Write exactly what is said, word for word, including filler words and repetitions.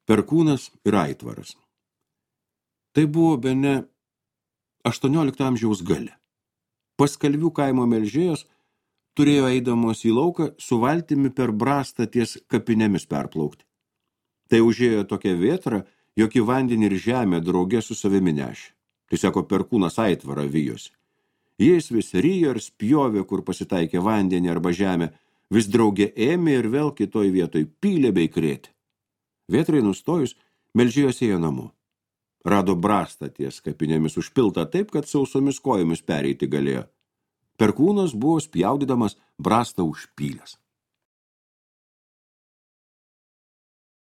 Perkūnas ir aitvaras. Tai buvo bene aštuoniolikto amžiaus gale. Paskalvių kaimo melžėjos turėjo eidamos į lauką su valtimi per brastą ties kapinėmis perplaukti. Tai užėjo tokia vėtra, jog į vandenį ir žemę draugė su savimi nešė. Tai sako, Perkūnas aitvarą vijosi. Jais vis ryjo ir spjovė, kur pasitaikė vandenį arba žemę, vis draugė ėmė ir vėl kitoj vietoj pylė bei krėtė. Vėtrai nustojus, melžėjos ėjo namo. Rado brastą ties kapinėmis užpiltą taip, kad sausomis kojomis pereiti galėjo. Perkūnas buvo spjaudydamas brastą užpylęs.